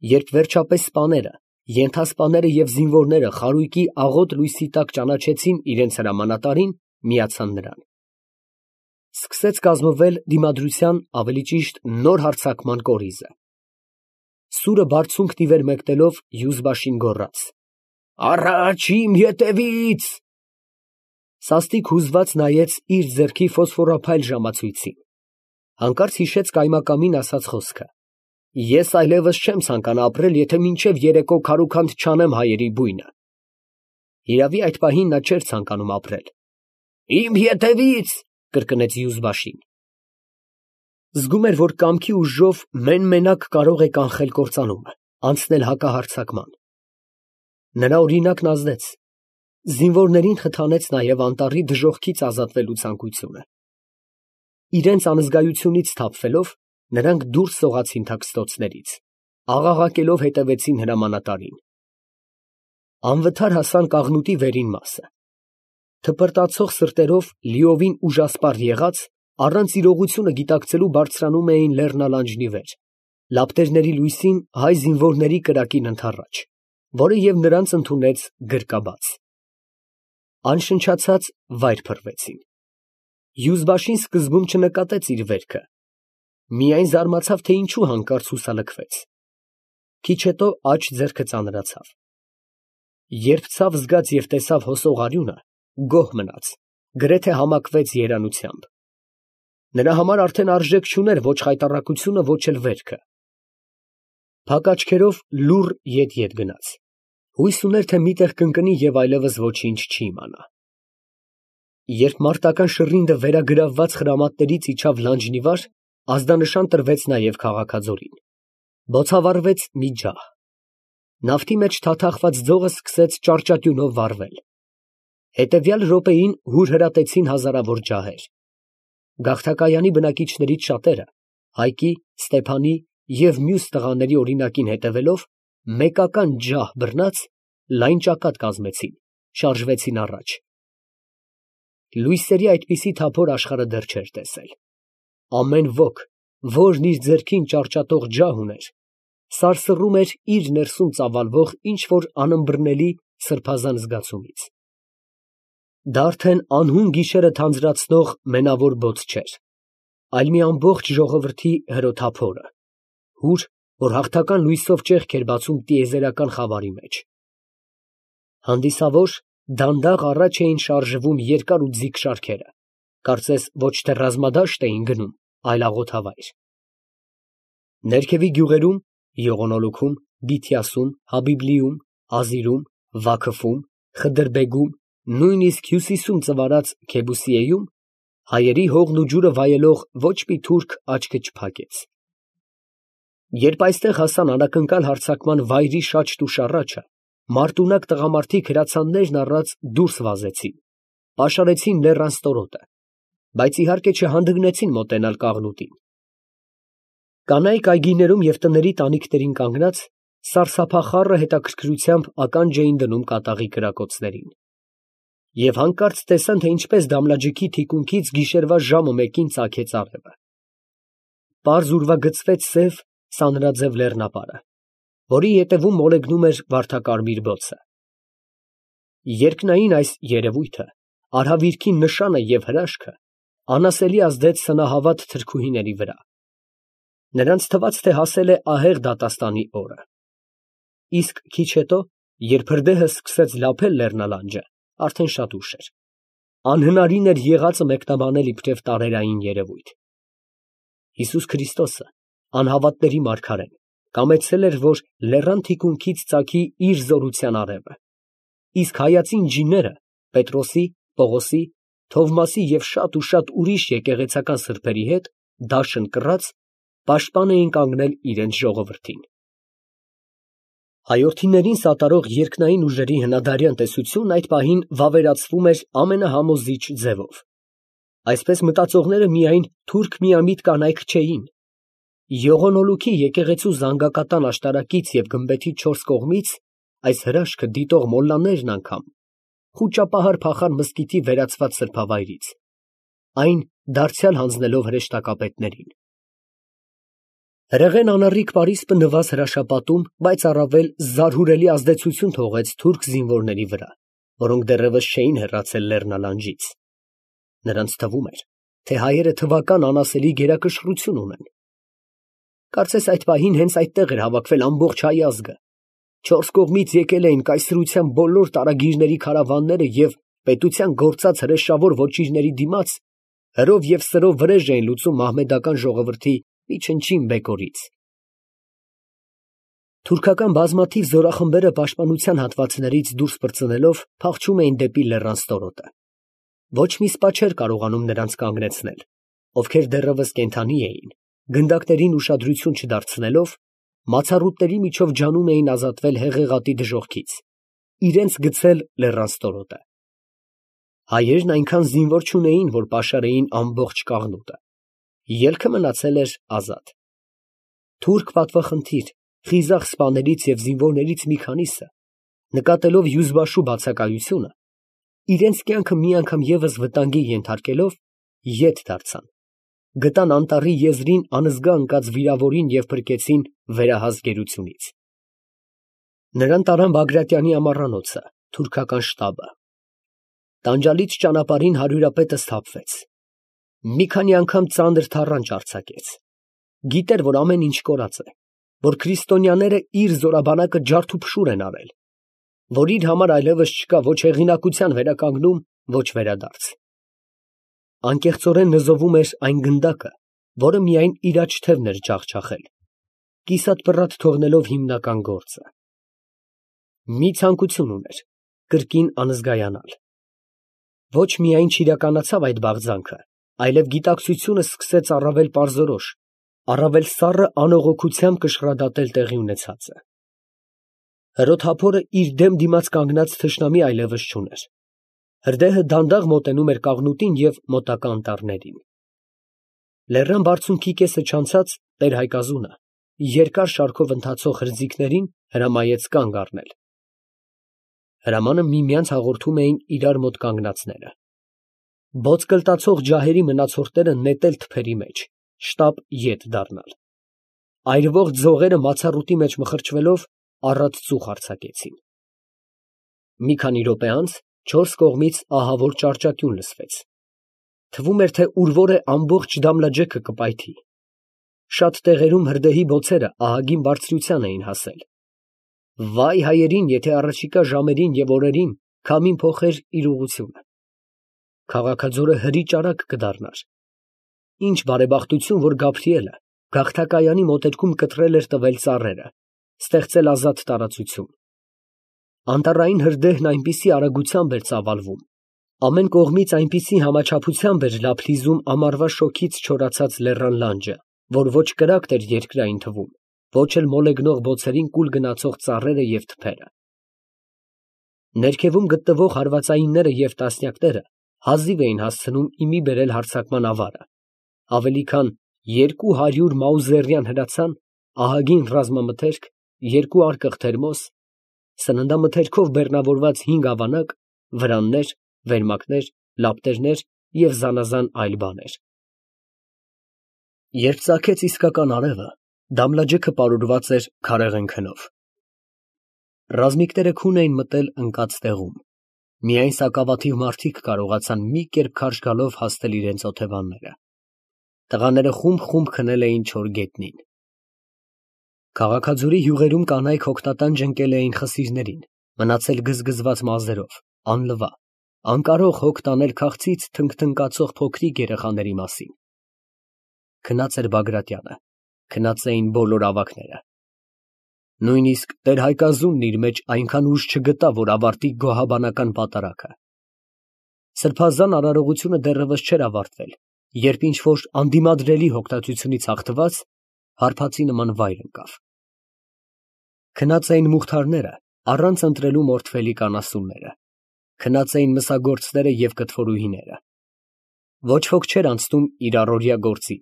Երբ վերջապես սպաները, ենթասպաները և զինվորները խարույկի աղոտ լույսի տակ ճանաչեցին իրենց հրամանատարին, միացան նրան։ Սկսեց կազմվել դիմադրության, ավելի ճիշտ նոր հարձակման կորիզը։ Սուրը բարձունք թիվեր մեկնելով Եզբաշին գոռաց. «Առաջ իմ ետևից»։ Սաստիկ հուզված նայեց իր ձեռքի ֆոսֆորափայլ ժամացույցին, հանկարծ հիշեց կայմակամին ասած խոսքը. «Ես այլևս չեմ ցանկանա ապրել, եթե մինչև երեկո քարուքանդ չանեմ հայերի բույնը»։ Հիրավի, այդ պահին նա չէր ցանկանում ապրել։ «Իմ ետևից», կրկնեց Եզբաշին։ Զգում էր, որ կամքի ուժով մեն֊մենակ կարող է կանխել կործանումը, անցնել հակահարձակման։ Նրա օրինակն ազդեց։ Զինվորներին խթանեց նաև անտառի դժոխքից ազատվելու ցանկությունը։ Իրենց անզգայությունից սթափվելով, նրանք դուրս սողացին թաքստոցներից, աղաղակելով հետևեցին հրամանատարին։ Անվթար հասան կաղնուտի վերին մասը։ Թպրտացող սրտերով լիովին ուժասպառ եղած, առանց իրողությունը գիտակցելու բարձրանում էին լեռնալանջնի վեր, լապտերների լույսին հայ զինվորների կրակին ընդառաջ, որը և նրանց ընդունեց գրկաբաց։ Անշնչացած վայր փռվեցին։ Եզբաշին սկզբում չնկատեց իր վերքը, միայն զարմացավ, թե ինչու հանկարծ հուսալքվեց։ Քիչ հետո աջ ձեռքը ծանրացավ։ Երբ ցավ զգաց և տեսավ հոսող արյունը, գոհ մնաց, գրեթե համակվեց երանությամբ։ Նրա համար արդեն արժեք չուներ ոչ խայտառակությունը, ոչ էլ վերքը։ Փակ աչքերով լուռ ետ գնաց։ Հույս ուներ, թե մի տեղ կընկնի և այլևս ոչինչ չի իմանա։ Երբ մարտական շռինգը վերագրավված խրամատներից իջավ լանջն ի վար, ազդանշան տրվեց նաև քաղաքաձորին։ Բոցավառվեց մի ջահ։ Նավթի մեջ թաթախված ձողը սկսեց ճառճատյունով վառվել։ Հետևյալ րոպեին հուրհրատեցին հազարավոր ջահեր։ Գաղթակայանի բնակիչներից շատերը, Հայկի, Ստեփանի և մյուս տղաների օրինակին հետևելով, մեկական ջահ բռնած, լայն ճակատ կազմեցին, շարժվեցին առաջ։ Լույսերի այդպիսի թափոր աշխարհը դեռ չէր տեսել։ Ամեն ոք, որն իր ձեռքին ճառճատող ջահ ուներ, սարսռում էր իր ներսում ծավալվող ինչ֊որ անըմբռնելի սրբազան զգացումից։ Դա արդեն անհուն գիշերը թանձրացնող մենավոր բոց չէր, այլ մի ամբողջ ժողովրդի հրոթափորը, հուր, որ հաղթական լույսով ճեղք էր բացում տիեզերական խավարի մեջ։ Հանդիսավոր, դանդաղ առաջ էին շարժվում երկար ու ձիգ շարքերը, կարծես ոչ թե ռազմադաշտ էին գնում, այլ աղոթավայր։ Ներքևի գյուղերում՝ Եղոնոլուքում, Բիթիասում, Հաբիբլիում, Ազիրում, Վաքվում, Խդրբեգում, նույնիսկ հյուսիսում ծվարած Քեբուսիեում, հայերի հողն ու ջուրը վայելող ոչ մի թուրք աչքը չփակեց։ Երբ այստեղ հասան անակնկալ հարձակման վայրի շաչն ու շառաչը, մարտունակ տղամարդիկ հրացաններն առած դուրս վազեցին, պաշարեցին լեռան ստորոտը, բայց իհարկե չհանդգնեցին մոտենալ կաղնուտին։ Կանայք այգիներում և տների տանիքներին կանգնած, սարսափախառը հետաքրքրությամբ ականջ էին դնում կատաղի կրակոցներին։ Եվ հանկարծ տեսան, թե ինչպես Դամլաջիքի թիկունքից գիշերվա ժամը մեկին ծագեց արևը։ Պարզ ուրվագծվեց սև, սանրաձև լեռնապարը, որի ետևում մոլեգնում էր վարդակարմիր բոցը։ Երկնային այս երևույթը, արհավիրքի նշանը և հրաշքը, անասելի ազդեց սնահավատ թրքուհիների վրա։ Նրանց թվաց, թե հասել է ահեղ դատաստանի օրը։ Իսկ քիչ հետո, երբ հրդեհը սկսեց լափել լեռնալանջը, արդեն շատ ուշ էր։ Անհնարին էր եղածը մեկնաբանել իբրև տարերային երևույթ։ Հիսուս Քրիստոսը, անհավատների մարգարեն, կամեցել էր, որ լեռան թիկունքից ծագի իր զորության արևը, իսկ հայացին ջիները Պետրոսի, Պողոսի, Թովմասի և շատ ու շատ ուրիշ եկեղեցական սրբերի հետ, դաշն կռած, պաշտպան էին կանգնել իրենց ժողովրդին։ Հայորդիներին սատարող երկնային ուժերի հնադարյան տեսությունն այդ պահին վավերացվում էր ամենահամոզիչ ձևով։ Այսպես մտածողները միայն թուրք֊միամիտ կանայք չէին։ Եղոնոլուքի եկեղեցու զանգակատան աշտարակից և գմբեթի չորս կողմից այս հրաշքը դիտող մոլլաներն անգամ, խուճապահար փախան մզկիթի վերածված սրբավայրից, այն դարձյալ հանձնելով հրեշտակապետներին։ Հրեղեն անառիկ Պարիսպը նվազ հրաշապատում, բայց առավել զարհուրելի ազդեցություն թողեց թուրք զինվորների վրա, որոնք դեռևս չէին հեռացել լեռնալանջից. նրանց թվում էր, թե հայերը թվական անասելի գերակշռություն ունեն։ Կարծես այդ պահին հենց այդտեղ էր հավաքվել ամբողջ հայ ազգը, չորս կողմից եկել էին կայսրության բոլոր տարագիրների քարավանները և պետության գործած հրեշավոր ոչիրների դիմաց հրով և սրով վրեժ էին լուծում մահմեդական ժողովրդի մի չնչին բեկորից։ Թուրքական բազմաթիվ զորախմբերը պաշտպանության հատվածներից դուրս պրծնելով փախչում էին դեպի լեռան ստորոտը։ Ոչ մի սպա չէր կարողանում նրանց կանգնեցնել, ովքեր դեռևս կենդանի էին, գնդակներին ուշադրություն չդարձնելով, մացառուտների միջով ջանում էին ազատվել հեղեղատի դժոխքից, իրենց գցել լեռան ստորոտը։ Հայերն այնքան զինվոր չունեին, որ պաշարեին ամբողջ կաղնուտը։ Ելքը մնացել էր ազատ։ Թուրք պատվախնդիր, խիզախ սպաներից և զինվորներից մի քանիսը, նկատելով Յուզբաշու բացակայությունը, իրենց կյանքը մի անգամ ևս վտանգի ենթարկելով, ետ դարձան, գտան անտառի եզրին անզգա ընկած վիրավորին և փրկեցին վերահաս գերությունից։ Նրան տարան Բագրատյանի ամառանոցը, թուրքական շտաբը։ Տանջալից ճանապարհին հարյուրապետը սթափվեց։ Մի քանի անգամ ծանր թառանչ արձակեց։ Գիտեր, որ ամեն ինչ կորած է, որ քրիստոնյաները իր զորաբանակը ջարդուփշուր են արել, որ իր համար այլևս չկա ոչ հեղինակության վերականգնում, ոչ վերադարձ։ Անկեղծորեն նզովում էր այն գնդակը, որը միայն իր աջ թևն էր ջախջախել, կիսատ թողնելով հիմնական գործը։ Մի ցանկություն ուներ կրկին անզգայանալ։ Ոչ միայն չիրականացավ այդ բաղձանքը, այլև գիտակցությունը սկսեց առավել պարզորոշ, առավել սառը անողոքությամբ կշռադատել տեղի ունեցածը։ Հրոթափորը իր դեմ դիմաց կանգնած թշնամի այլևս չուներ։ Հրդեհը դանդաղ մոտենում էր կաղնուտին և մոտակա անտառներին։ Լեռան բարձունքի կեսը չանցած տեր֊Հայկազունը երկար շարքով ընթացող հրձիգներին հրամայեց կանգ առնել։ Հրամանը միմյանց հաղորդում էին իրար մոտ կանգնածները։ Բոծկլտացող ջահերի մնացորդները նետել թփերի մեջ, շտապ ետ դառնալ։ Այրվող ձողերը մացառուտի մեջ մխրճվելով առատ ծուխ արձակեցին։ Մի քանի րոպե անց չորս կողմից ահավոր ճառճատյուն լսվեց։ Թվում էր, թե ուր որ է ամբողջ Դամլաջեքը կպայթի։ Շատ տեղերում հրդեհի բոցերը ահագին բարձրության էին հասել։ Վայ հայերին, եթե առաջիկա ժամերին և օրերին քամին փոխեր իր ուղղությունը։ Քաղաքաձորը հրի ճարակ կդառնար։ Ինչ բարեբախտություն, որ Գաբրիելը գաղթակայանի մոտերքում կտրել էր տվել ծառերը, ստեղծել ազատ տարածություն։ Անտառային հրդեհն այնպիսի արագությամբ էր ծավալվում, ամեն կողմից այնպիսի համաչափությամբ էր լափլիզում ամառվա շոգից չորացած լեռան լանջը, որ ոչ կրակտ էր երկրային թվում, ոչ էլ մոլեգնող բոցերին կուլ գնացող ծառերը և թփերը։ Ներքևում գտնվող հարվածայինները և տասնյակները հազիվ էին հասցնում իմի բերել հարձակման ավարը, ավելի քան 200 մաուզերյան հրացան, ահագին ռազմամթերք, 2 արկղ թերմոս, սննդամթերքով բեռնավորված 5 ավանակ, վրաններ, վերմակներ, լապտերներ և զանազան այլ բաներ։ Երբ ծագեց իսկական արևը, Դամլաջեքը պարուրված էր քարեղեն քնով։ Ռազմիկները քուն էին մտել ընկած տեղում։ Միայն սակավաթիվ մարդիկ կարողացան մի կերպ քարշ գալով հասնել իրենց օթևանները։ Տղաները խումբ քնել էին չոր գետնին։ Քաղաքաձորի հյուղերում կանայք հոգնատանջ ընկել էին խսիրներին, մնացել գզգզված մազերով, անլվա, անկարող հոգ տանել քաղցից թնգթնկացող փոքրիկ երեխաների մասին։ Քնած էր Բագրատյանը, քնած էին բոլոր ավագները։ Նույնիսկ տեր֊Հայկազունն իր մեջ այնքան ուժ չգտավ, որ ավարտի գոհաբանական պատարագը։ Սրբազան արարողությունը դեռևս չէր ավարտվել, երբ ինչ-որ անդիմադրելի հոգնածությունից հաղթված հարբածի նման վայր ընկավ։ Քնած էին մուղթարները, առանց ընտրելու մորթվելիք անասունները, քնած էին մսագործները և կտորուհիները։ Ոչ ոք չէր անցնում իր առօրյա գործին։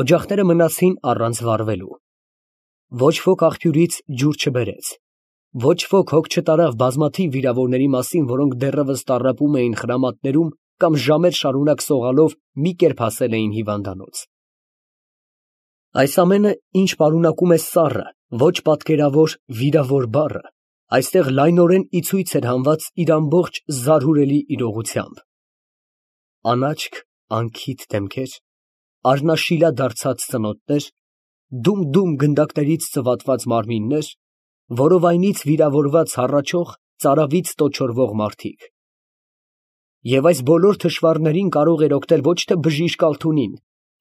Օջախները մնացին առանց վառվելու։ Ոչ ոք աղբյուրից ջուր չբերեց։ Ոչ ոք հոգ չտարավ բազմաթիվ վիրավորների մասին, որոնք դեռևս տառապում էին խրամատներում կամ ժամեր շարունակ սողալով մի կերպ հասել էին հիվանդանոց։ Այս ամենը, ինչ պարունակում է սառը, ոչ պատկերավոր վիրավոր բառը, այստեղ լայնորեն ի ցույց էր հանված իր ամբողջ զարհուրելի իրողությամբ. անաչք, անքիթ դեմքեր, առնաշիլա դարձած ծնոտներ, դում գնդակներից ծվատված մարմիններ, որովայնից վիրավորված հառաչող, ծարավից տոչորվող մարդիկ։ Եվ այս բոլոր թշվառներին կարող էր օգնել ոչ թե բժիշկ Ալթունին,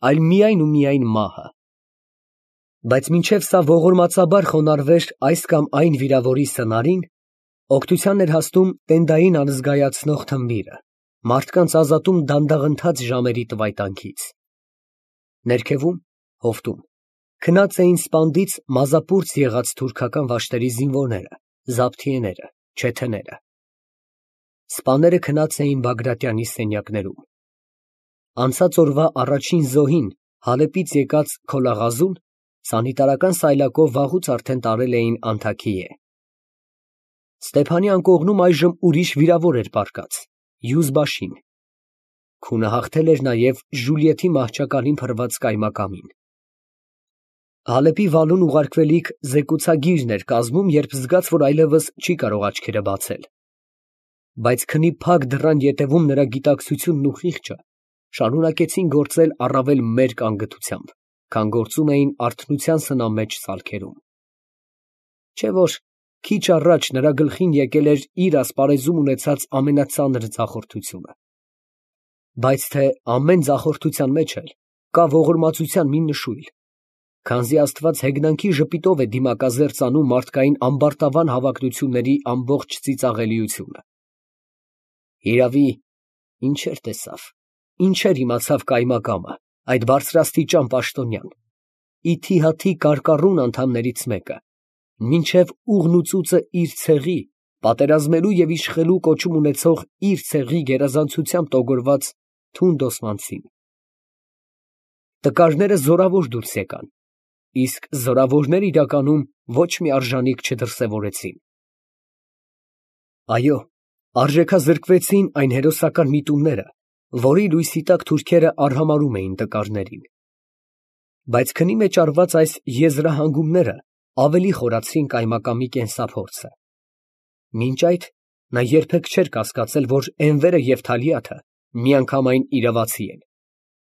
այլ միայն ու միայն մահը։ Բայց մինչև սա ողորմածաբար խոնարհվեր այս կամ այն վիրավորի սնարին, օգնության էր հասնում տենդային անզգայացնող թմբիրը, մարդկանց ազատում դանդաղընթաց ժամերի տվայտանքից։ Ներքևում, հովտում, քնած էին սպանդից մազապուրծ եղած թուրքական վաշտերի զինվորները, զաբթիեները, չեթեները։ Սպաները քնած էին Բագրատյանի սենյակներում։ Անցած օրվա առաջին զոհին Հալեպից եկած Քոլաղազուն սանիտարական սայլակով վաղուց արդեն տարել էին Անթաքիե։ Ստեփանի անկողնում այժմ ուրիշ վիրավոր էր պառկած՝ Յուզբաշին։ Քունը հաղթել էր նաև Ժուլիեթի մահճակալին փռված կայմակամին։ Հալեպի վալուն ուղարկվելիք զեկուցագիրն էր կազմում, երբ զգաց, որ այլևս չի կարող աչքերը բացել։ Բայց քնի փակ դռան ետևում նրա գիտակցությունն ու խիղճը շարունակեցին գործել առավել մերկ անգթությամբ, քան գործում էին արթնության սնամեջ սալքերում։ Չէ՞ որ քիչ առաջ նրա գլխին եկել էր իր ասպարեզում ունեցած ամենածանր ձախորդությունը։ Բայց թե ամեն ձախորդության մեջ էլ կա ողորմածության մի նշույլ, քանզի Աստված հեգնանքի ժպիտով է դիմակազերծ անում մարդկային ամբարտավան հավակնությունների ամբողջ ծիծաղելիությունը։ Հիրավի, ինչեր տեսավ, ինչեր իմացավ կայմակամը, այդ բարձրաստիճան պաշտոնյան, ի թիհաթի կարկառուն անդամներից մեկը, մինչև ուղն ու ծուծը իր ցեղի, պատերազմելու և իշխելու կոչում ունեցող իր ցեղի գերազանցությամբ տոգորված թունդ օսմանցին։ Տկարները զորավոր դուրս եկան, իսկ զորավորները իրականում ոչ մի արժանիք չդրսևորեցին։ Այո, արժեքազրկվեցին այն հերոսական միտումները, որի լույսի տակ թուրքերը արհամարհում էին տկարներին։ Բայց քնի մեջ արված այս եզրահանգումները ավելի խորացրին կայմակամի կենսափորձը։ Մինչ այդ նա երբեք չէր կասկածել, որ Էնվերը և Թալիաթը միանգամայն իրավացի են,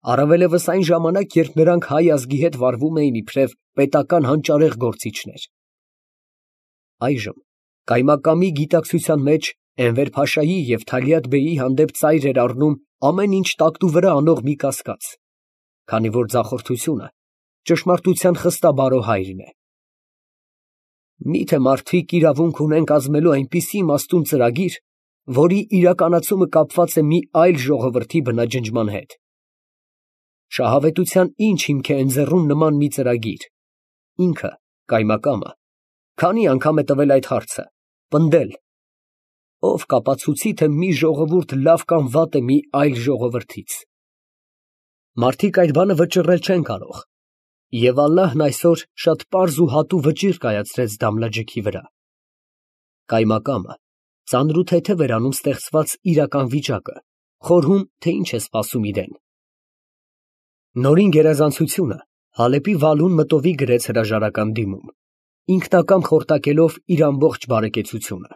առավելևս այն ժամանակ, երբ նրանք հայ ազգի հետ վարվում էին իբրև պետական հանճարեղ գործիչներ։ Այժմ կայմակամի գիտակցության մեջ Էնվեր֊փաշայի և Թալիաթ֊բեյի հանդեպ ծայր էր առնում ամեն ինչ տակտուվրա անող մի կասկած, քանի որ ձախորդությունը ճշմարտության խստաբարո հայրն է։ Մի՞թե մարդիկ իրավունք ունեն կազմելու այնպիսի իմաստուն ծրագիր, որի իրականացումը կապված է մի այլ ժողովրդի բնաջնջման հետ։ Շահավետության ինչ հիմք է ընձեռում նման մի ծրագիր, ինքը, կայմակամը, քանի անգամ է տվել այդ հարցը, պնդել, ով կապացուցի, թե մի ժողովուրդ լավ կամ վատ է մի այլ ժողովրդից։ Մարդիկ այդ բանը վճռել չեն կարող, և Ալլահն այսօր շատ պարզ ու հատու վճիռ կայացրեց Դամլաջիքի վրա։ Կայմակամը ծանր ու թեթև էր անում ստեղծված իրական վիճակը, խորհում, թե ինչ է սպասում իրեն։ Նորին գերազանցությունը Հալեպի վալուն մտովի գրեց հրաժարական դիմում, ինքնակամ խորտակելով իր ամբողջ բարեկեցությունը։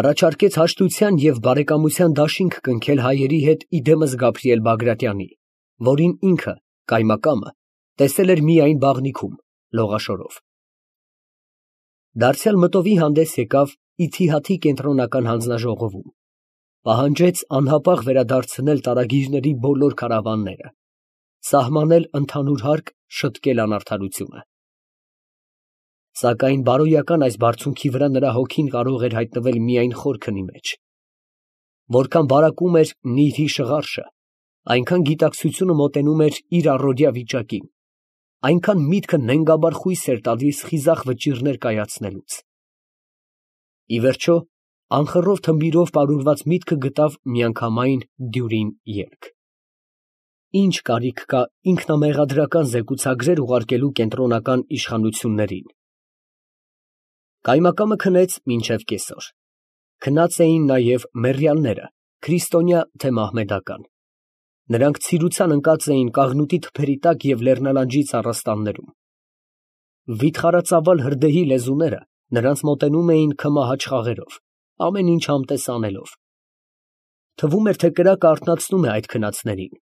Առաջարկեց հաշտության և բարեկամության դաշինք կնքել հայերի հետ իդեմս Գաբրիել Բագրատյանի, որին ինքը, կայմակամը, տեսել էր միայն բաղնիքում, լողաշորով։ Դարձյալ մտովի հանդես եկավ Իթիհաթի կենտրոնական հանձնաժողովում, պահանջեց անհապաղ վերադարձնել տարագիրների բոլոր քարավանները, սահմանել ընդհանուր հարկ, շտկել անարդարությունը։ Սակայն բարոյական այս բարձունքի վրա նրա հոգին կարող էր հայտնվել միայն խոր քնի մեջ։ Որքան բարակում էր նիրհի շղարշը, այնքան գիտակցությունը մոտենում էր իր առօրյա վիճակին, այնքան միտքը նենգաբար խույս էր տալիս խիզախ վճիռներ կայացնելուց։ Ի վերջո, անխռով թմբիրով պարուրված միտքը գտավ միանգամայն դյուրին ելք։ Ինչ կարիք կա ինքնամեղադրական զեկուցագրեր ուղարկելու կենտրոնական իշխանություններին։ Կայմակամը քնեց մինչև կեսօր։ Քնած էին նաև մեռյալները, քրիստոնյա թե մահմեդական։ Նրանք ցիրության ընկած էին կաղնուտի թփերի տակ և լեռնալանջի ծառաստաններում։ Վիթխարածավալ հրդեհի լեզուները նրանց մոտենում էին քմահաճ խաղերով, ամեն ինչ համտես անելով։ Թվում էր, թե կրակը արթնացնում է այդ քնածներին։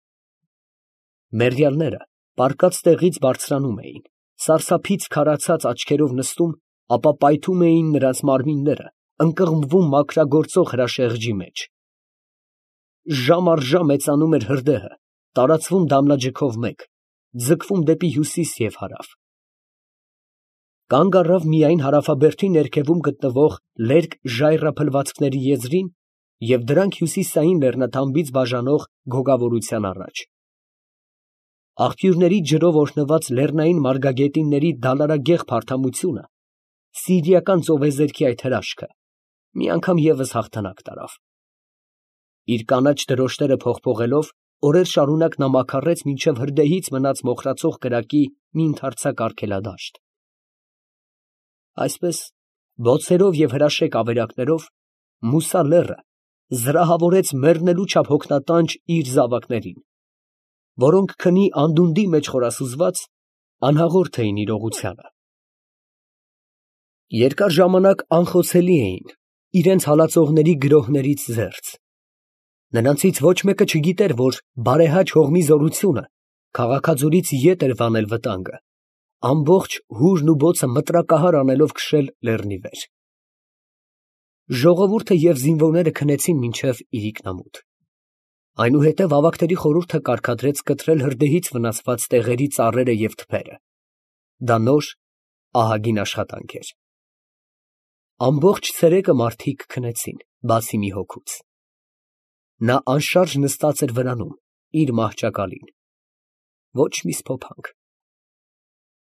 Մեռյալները պառկած տեղից բարձրանում էին, սարսափից քարացած աչքերով նստում, ապա պայթում էին նրանց մարմինները, ընկղմվում մաքրագործող հրաշեղջի մեջ։ Ժամ առ ժամ մեծանում էր հրդեհը, տարածվում դամլաջգով մեկ, ձգվում դեպի հյուսիս և հարավ։ Կանգ առավ միայն հարավաբերդի ներքևում գտնվող լերկ ժայռափլվածքների եզրին և դրանք հյուսիսային լեռնաթամբից բաժանող գոգավորության առաջ։ Աղբյուրների ջրով օրհնված լեռնային մարգագետինների դալարագեղ փարթամությունը, սիրիական ծովեզերքի այդ հրաշքը, մի անգամ ևս հաղթանակ տարավ։ Իր կանաչ դրոշները փողփողելով, օրեր շարունակ նա մաքարեց մինչև հրդեհից մնաց մոխրացող կրակի մի ընդարձակ արգելադաշտ։ Այսպես, բոցերով և հրաշեկ ավերակներով Մուսա լեռը զրահավորեց մեռնելու չափ հոգնատանջ իր զավակներին, որոնք քնի անդունդի մեջ խորասուզված, անհաղորդ էին իրողությանը։ Երկար ժամանակ անխոցելի էին, իրենց հալածողների գրոհներից զերծ։ Նրանցից ոչ մեկը չգիտեր, որ բարեհաճ հողմի զորությունը քաղաքաձորից ետ էր վանել վտանգը, ամբողջ հուրն ու բոցը մտրակահար անելով քշել լեռնի վեր։ Ժողովուրդը և զինվորները քնեցին մինչև իրիկնամուտ։ Այնուհետև ավագների խորհուրդը կարգադրեց կտրել հրդեհից վնասված տեղերի ծառերը և թփերը։ Դա նոր, ահագին աշխատանք էր։ Ամբողջ ցերեկը մարդիկ քնեցին, բացի մի հոգուց։ Նա անշարժ նստած էր վրանում, իր մահճակալին։ Ոչ մի սփոփանք։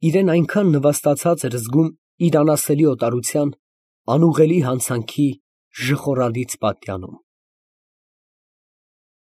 Իրեն այնքան նվաստացած էր զգում իր անասելի օտարության, անուղղելի հանցանքի ժխորալից պատյանում։